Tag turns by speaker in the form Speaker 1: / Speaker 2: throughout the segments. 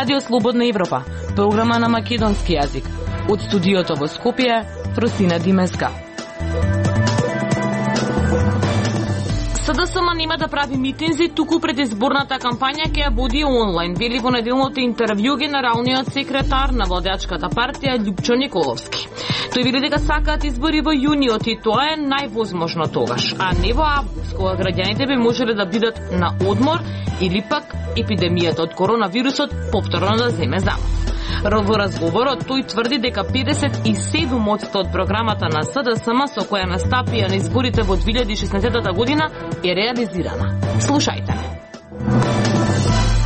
Speaker 1: Радио Слободна Европа, програма на македонски јазик. Од студиото во Скопје, Фросина Димеска. СДСМ нема да прави митинзи, туку пред изборната кампања ќе ја води онлайн, вели во неделното интервју генералниот секретар на владеачката партија Љупчо Николовски. Тој вели дека сакаат избори во јуниот и тоа е највозможно тогаш, а не во август, кога граѓаните би можеле да бидат на одмор или пак епидемијата од коронавирусот повторно да земе замав. Во разговорот тој тврди дека 57% од програмата на СДСМ со која настапија на изборите во 2016 година е реализирана. Слушајте.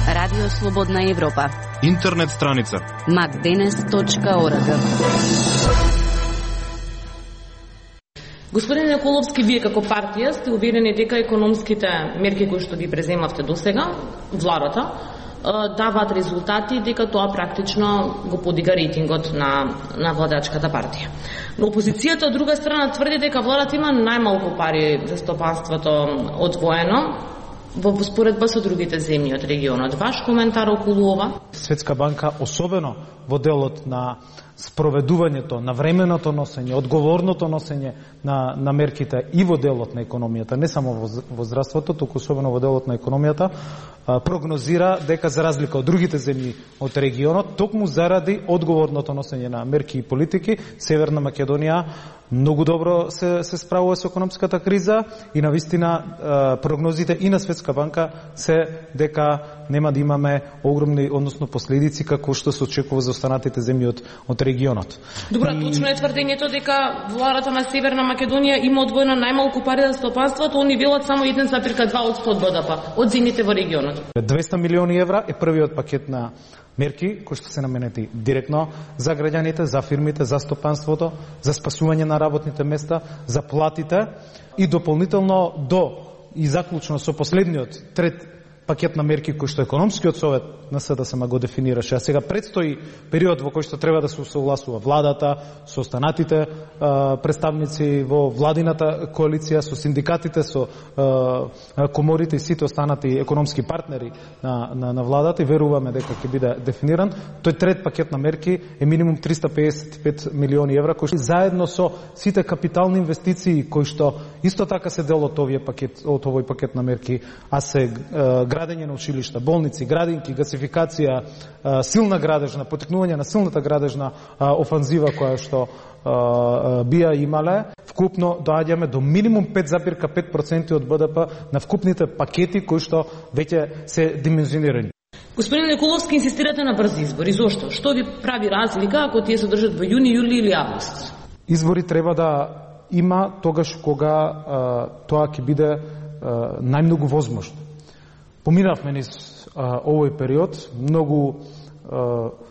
Speaker 2: Радио Слободна Европа.
Speaker 3: Интернет страница
Speaker 2: macdenes.org.
Speaker 1: Господин Николовски, вие како партија сте уверени дека економските мерки кои што ги преземавте досега, владата, даваат резултати, дека тоа практично го подига рейтингот на владачката партија. Но опозицијата од друга страна тврди дека владата има најмалку пари за стопанството одвоено во споредба со другите земји од регионот. Ваш коментар околу ова?
Speaker 4: Светска банка, особено во делот на спроведувањето, на временото носење, одговорното носење на мерките и во делот на економијата, не само во здравството, туку особено во делот на економијата, прогнозира дека за разлика од другите земји од регионот, токму заради одговорното носење на мерки и политики, Северна Македонија многу добро се справува со економската криза и навистина прогнозите и на Светска банка се дека нема да имаме огромни, односно последици како што се очекува за останатите земји од регионот.
Speaker 1: Добро, точно е тврдењето дека владата на Северна Македонија има одвоено најмалку пари за стопанството, они велат само 1,2% од БДП од земјите во регионот.
Speaker 4: 200 милиони евра е првиот пакет на мерки кои што се наменети директно за граѓаните, за фирмите, за стопанството, за спасување на работните места, за платите и дополнително до и заклучно со последниот трет пакет на мерки кој што економскиот совет на СДСМ го дефинираше. А сега предстои период во кој што треба да се согласува владата со останатите представници во владината коалиција, со синдикатите, со коморите и сите останати економски партнери на владата и веруваме дека ќе биде дефиниран. Тој трет пакет на мерки е минимум 355 милиони евра кои заедно со сите капитални инвестиции кои што исто така се дел од овој пакет на мерки, а се градење на училишта, болници, градинки, гасификација, силна градежна, потекнување на силната градежна офанзива која што бија имале, вкупно доаѓаме до минимум 5,5% од БДП на вкупните пакети кои што веќе се димензионирани.
Speaker 1: Господин Николовски, инсистирате на брзи избори. Зошто? Што ви прави разлика ако тие се држат во јуни, јули или август?
Speaker 4: Избори треба да има тогаш кога тоа ќе биде најмногу возможно. Поминавме низ овој период многу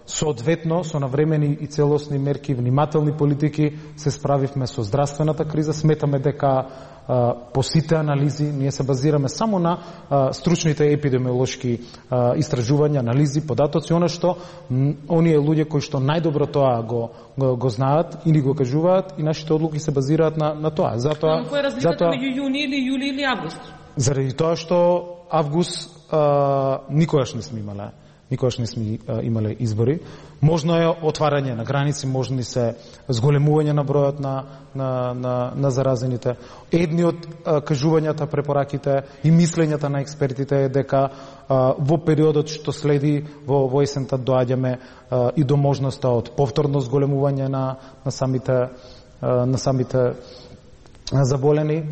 Speaker 4: соодветно со навремени и целосни мерки, внимателни политики се справивме со здравствената криза. Сметаме дека по сите анализи ние се базираме само на стручните епидемиолошки истражувања, анализи, податоци, она што оние луѓе кои што најдобро тоа го знаат или го кажуваат и нашите одлуки се базираат на тоа. Затоа
Speaker 1: кој е разликата меѓу јуни или јули или август?
Speaker 4: Заради тоа што август никогаш не сме имале избори. Можно е отварање на граници, можни се зголемување на бројот на заразените. Едни од кажувањата, препораките и мислењата на експертите е дека во периодот што следи во есента доаѓаме и до можноста од повторно зголемување на самите заболени.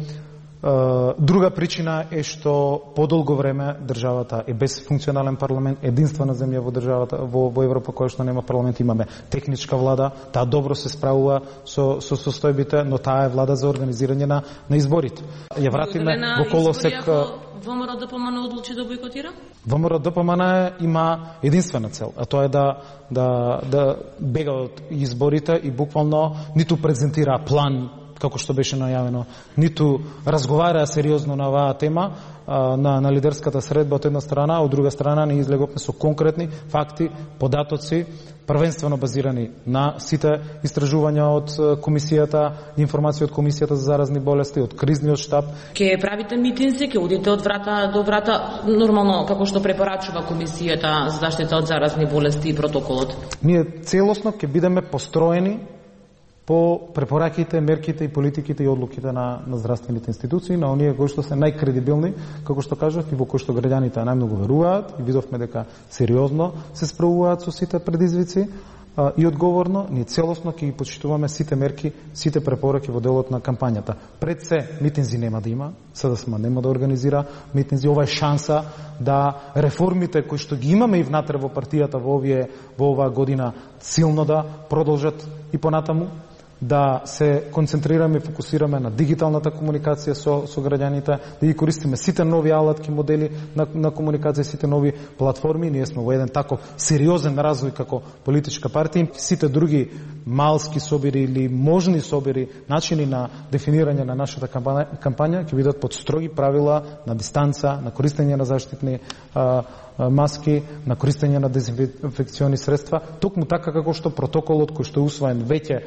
Speaker 4: Друга причина е што подолго време државата е без функционален парламент, единствена земја во државата во Европа која што нема парламент. Имаме техничка влада, таа добро се справува со состојбите, но таа е влада за организирање на изборите. Ја вратиме во колосек.
Speaker 1: ВМРО ДПМН одлучи да бойкотира?
Speaker 4: ВМРО ДПМН има единствена цел, а тоа е да бега од изборите и буквално ниту презентира план како што беше најавено, ниту разговараа сериозно на оваа тема на лидерската средба од една страна, од друга страна не излеговме со конкретни факти, податоци, првенствено базирани на сите истражувања од комисијата, информација од комисијата за заразни болести, од кризниот штаб.
Speaker 1: Ке правите митинзи, ке одите од врата до врата, нормално како што препорачува комисијата за заштита од заразни болести и протоколот?
Speaker 4: Ние целосно ќе бидеме построени по препораките, мерките и политиките и одлуките на здравствените институции, на оние кои што се најкредибилни, како што кажав, и во кои што граѓаните најмногу веруваат, и видовме дека сериозно се справуваат со сите предизвици и одговорно, ние целосно ќе ги почитуваме сите мерки, сите препораки во делот на кампањата. Пред се, митинзи нема да има, СДСМ нема да организира митинзи, ова е шанса да реформите кои што ги имаме и внатре во партијата во оваа година силно да продолжат и понатаму, да се концентрираме и фокусираме на дигиталната комуникација со граѓаните, да ги користиме сите нови алатки, модели на комуникација, сите нови платформи. Ние сме во еден таков сериозен развој како политичка партија. Сите други малски собири или можни собири, начини на дефинирање на нашата кампања ќе бидат под строги правила на дистанца, на користење на заштитни маски, на користење на дезинфекциони средства, токму така како што протоколот кој што е усвоен веќе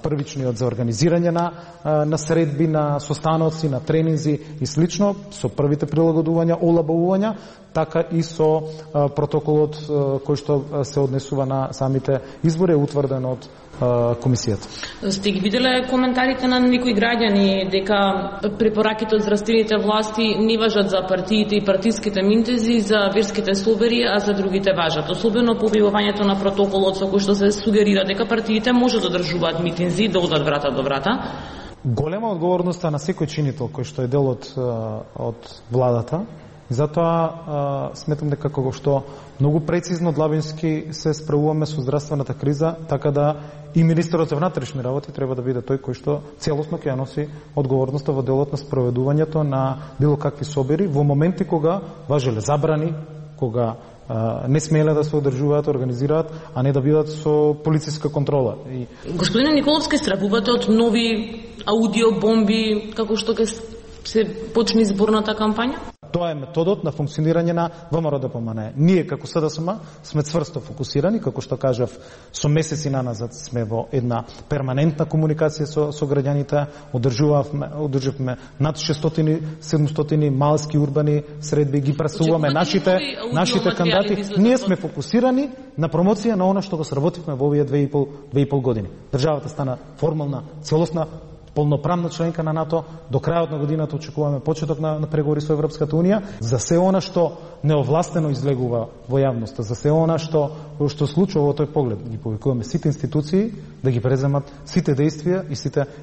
Speaker 4: првичниот за организирање на средби, на состаноци, на тренинзи и слично, со првите прилагодувања, олабавувања, така и со протоколот кој што се однесува на самите избори, е утврден од комисијата.
Speaker 1: Сте ги виделе коментарите на некои граѓани дека препораките од здравствените власти не важат за партиите и партиските митинзи, за верските слобери, а за другите важат. Особено по објавувањето на протоколот со кој што се сугерира дека партиите може да одржуваат митинзи, да одат врата до врата.
Speaker 4: Голема одговорноста на секој чинител кој што е дел од владата. И затоа сметам дека како што многу прецизно длабински се справуваме со здравствената криза, така да и министерот за внатрешни работи треба да биде тој кој што целосно ќе ја носи одговорноста во делот на спроведувањето на било какви собери во моменти кога важеле забрани, кога не смеле да се одржуваат, организираат, а не да бидат со полициска контрола.
Speaker 1: Господине Николовски, стравувате од нови аудиобомби како што ќе се почне изборната кампања?
Speaker 4: Тоа е методот на функционирање на ВМРО-ДПМНЕ. Ние како СДСМ сме цврсто фокусирани, како што кажав, со месеци наназад сме во една перманентна комуникација со граѓаните, одржавме над 600-700 малски урбани средби, ги пресуваме нашите кандидати. Ние сме фокусирани на промоција на она што го сработивме во овие 2,5 години. Државата стана формална, целосна, полноправна членка на НАТО. До крајот на годината очекуваме почеток на преговори со Европската унија. За се она што неовластено излегува во јавноста, за се она што случува во тој поглед, ги повикуваме сите институции да ги преземат сите дејствија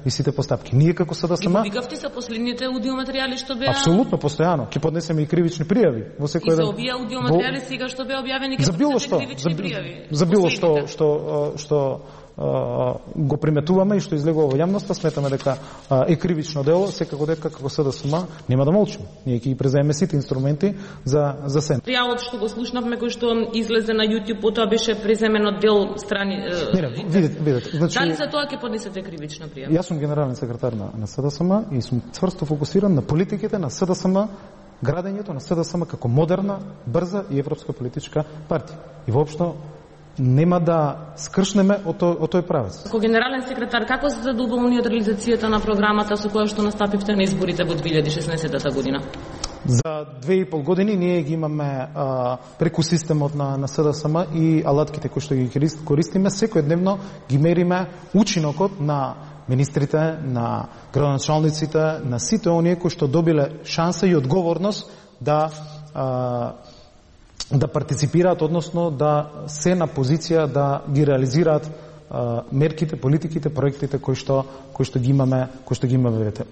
Speaker 4: и сите постапки. Ние како СДСМ
Speaker 1: ги повикавте за последните аудиоматеријали што беа
Speaker 4: апсолутно постојано, ќе поднесеме и кривични пријави во секој
Speaker 1: ден. И за овие аудиоматеријали сега што беа објавени
Speaker 4: за било што, за било што го приметуваме и што излегува во јавноста, сметаме дека е кривично дело, секако дека како СДСМ нема да молчиме. Ние ќе ги преземеме сите инструменти за се.
Speaker 1: Материјалот што го слушнавме, кој што излезе на YouTube, потоа беше преземен од дел страни.
Speaker 4: Видете. Значи,
Speaker 1: дали за тоа ќе поднесете кривична пријава?
Speaker 4: Јас сум генерален секретар на СДСМ и сум цврсто фокусиран на политиките на СДСМ, градењето на СДСМ како модерна, брза и европска политичка партија. И воопшто нема да скршнеме од тој правец.
Speaker 1: Како генерален секретар, како се задоволни од реализацијата на програмата со која што настапивте на изборите во 2016 година?
Speaker 4: За 2,5 години ние ги имаме преку системот на СДСМ и алатките кои што ги користиме, секојдневно ги мериме учинокот на министрите, на градоначалниците, на сите оние кои што добиле шанса и одговорност да партиципираат, односно да се на позиција да ги реализираат мерките, политиките, проектите кои што ги имаме,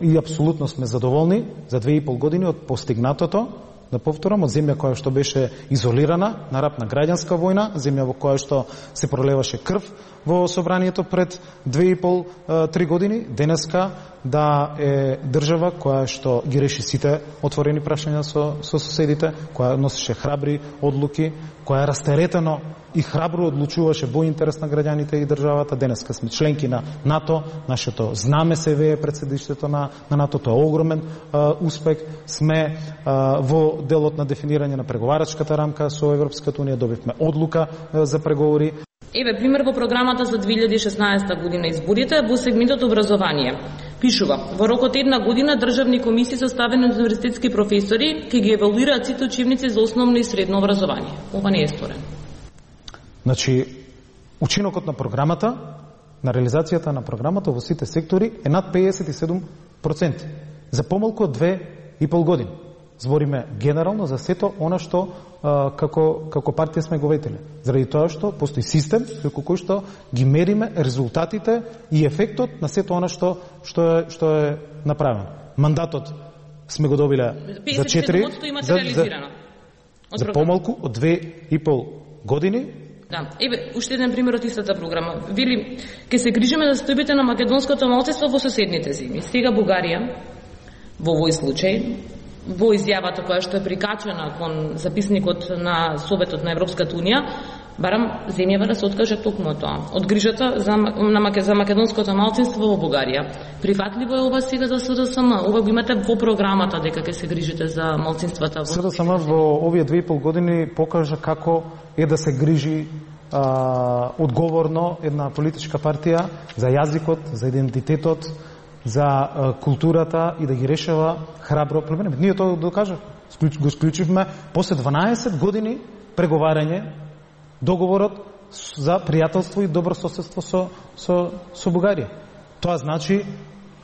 Speaker 4: И апсолутно сме задоволни за 2,5 години од постигнатото, да повторам, од земја која што беше изолирана, на рап на граѓанска војна, земја во која што се пролеваше крв во собранието пред 2,5-3 години, денеска да е држава која што ги реши сите отворени прашања со соседите, која носеше храбри одлуки, која растеретено и храбро одлучуваше во интерес на граѓаните и државата. Денеска сме членки на НАТО, нашето знаме се вее пред седиштето на НАТО, тоа е огромен успех. Сме во делот на дефинирање на преговарачката рамка со Европската унија, добивме одлука за преговори.
Speaker 1: Еве пример во програмата за 2016 година изборите во сегментот образование. Пишува: во рокот една година државни комисии составени од универзитетски професори ќе ги евалуираат сите учебници за основно и средно образование. Ова не е сторено.
Speaker 4: Значи, учинокот на програмата, на реализацијата на програмата во сите сектори е над 57%. За помалку од 2,5 години. Збориме генерално за сето она што како партија сме го ветеле. Заради тоа што постои систем преку кој што ги мериме резултатите и ефектот на сето она што е направено. Мандатот сме го добиле за 4 за помалку од 2,5 години.
Speaker 1: Да, еве уште еден пример од истата програма. Вели, ќе се грижиме за состојбите на македонското малцинство во соседните земји. Сега Бугарија во овој случај во изјавата која што е прикачена кон записникот на Советот на Европската унија, барам земјава да се откаже токму тоа, од грижата за македонското малцинство во Бугарија. Прифатливо е ова сега за СДСМ? Ова го имате во програмата дека ќе се грижите за малцинствата во
Speaker 4: СДСМ во овие 2,5 години покажа како е да се грижи одговорно една политичка партија за јазикот, за идентитетот, за културата и да ги решава храбро проблеми. Ние тоа докажавме. Го склучивме после 12 години преговарање договорот за пријателство и добро соседство со Бугарија. Тоа значи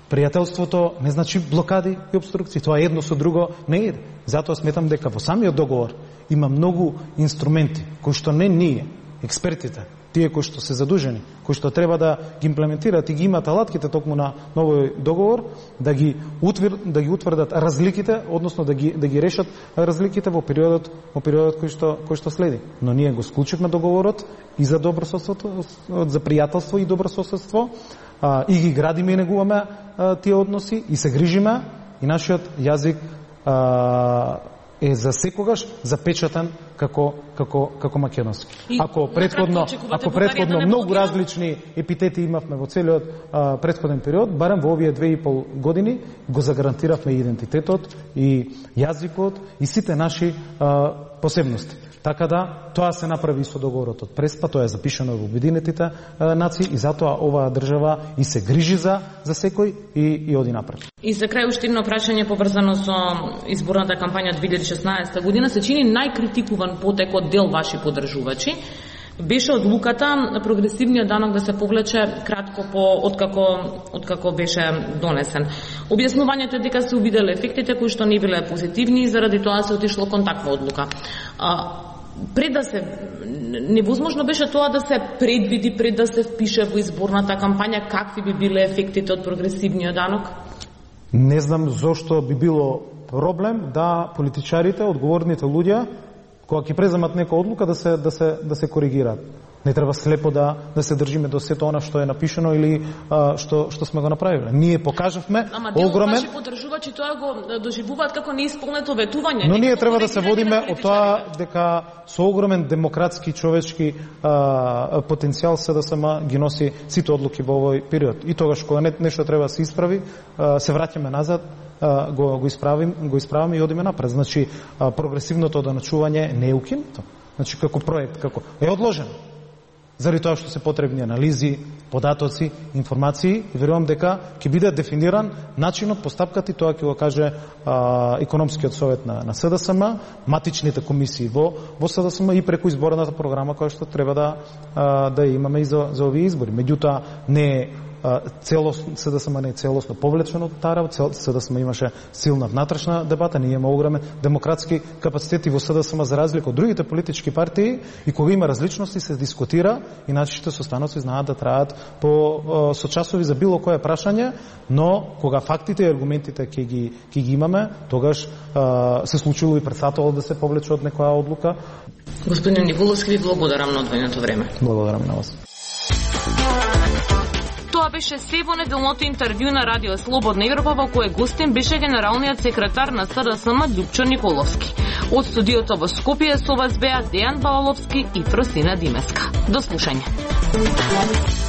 Speaker 4: пријателството не значи блокади и обструкции. Тоа едно со друго не иде. Затоа сметам дека во самиот договор има многу инструменти кои што не ние, експертите, тие кои што се задужени, кои што треба да ги имплементираат и ги имаат алатките токму на новој договор, да ги утврдат разликите, односно да ги решат разликите во периодот кој што следи. Но ние го склучивме договорот и за добрососедство, за пријателство и добрососедство, и ги градиме и негуваме тие односи и се грижиме и нашиот јазик е за секогаш запечатен како македонски. Ако претходно многу различни епитети имавме во целиот претходен период, барем во овие 2,5 години го загарантиравме идентитетот и јазикот и сите наши посебности. Така да, тоа се направи со договорот од Преспа, тоа е запишано во Обединетите нации и затоа оваа држава и се грижи за секој и оди напред.
Speaker 1: И за крај уште едно прашање поврзано со изборната кампања 2016 година. Се чини најкритикуван потек од дел ваши поддржувачи беше одлуката прогресивниот данок да се повлече кратко откако беше донесен. Објаснувањето е дека се увиделе ефектите кои што не биле позитивни и заради тоа се отишло кон таква одлука. Пред да се невозможно беше тоа да се предвиди, пред да се впише во изборната кампања, какви би биле ефектите од прогресивниот данок?
Speaker 4: Не знам зошто би било проблем да политичарите, одговорните луѓе, кога ќе преземат нека одлука да се коригираат. Не треба слепо да се држиме до сето она што е напишано или што сме го направиле. Ние покажавме огромен.
Speaker 1: Ваши поддржувачи тоа го доживуваат како неисполнето ветување.
Speaker 4: Но ние треба да се водиме од тоа дека со огромен демократски човечки потенцијал СДСМ ги носи сите одлуки во овој период. И тогаш кога нешто треба да се исправи, се враќаме назад, го исправаме и одиме напред. Значи прогресивното доначување не е укинато. Значи како проект, како е одложено. Заради тоа што се потребни анализи, податоци, информации и верувам дека ќе биде дефиниран начинот, постапката и тоа ќе го каже економскиот совет на СДСМ, матичните комисии во СДСМ и преку изборната програма која што треба да имаме и за овие избори. Меѓутоа не е СДСМ не е целосно повлечено од таа работа. СДСМ имаше силна внатрешна дебата, ние имаме огромен демократски капацитети во СДСМ за разлика од другите политички партии и кога има различности се дискутира и нашите состаноци знаат да траат со часови за било кое прашање, но кога фактите и аргументите ќе ги имаме, тогаш се случило и предсатало да се повлече од некоја одлука.
Speaker 1: Господин Николовски, ви благодарам на одвоеното време.
Speaker 4: Благодарам на вас.
Speaker 1: Тоа беше се во неделното интервју на Радио Слободна Европа во кое гостин беше генералниот секретар на СДСМ Љупчо Николовски. Од студиото во Скопје со вас беа Дејан Балаловски и Фросина Димеска. До слушање.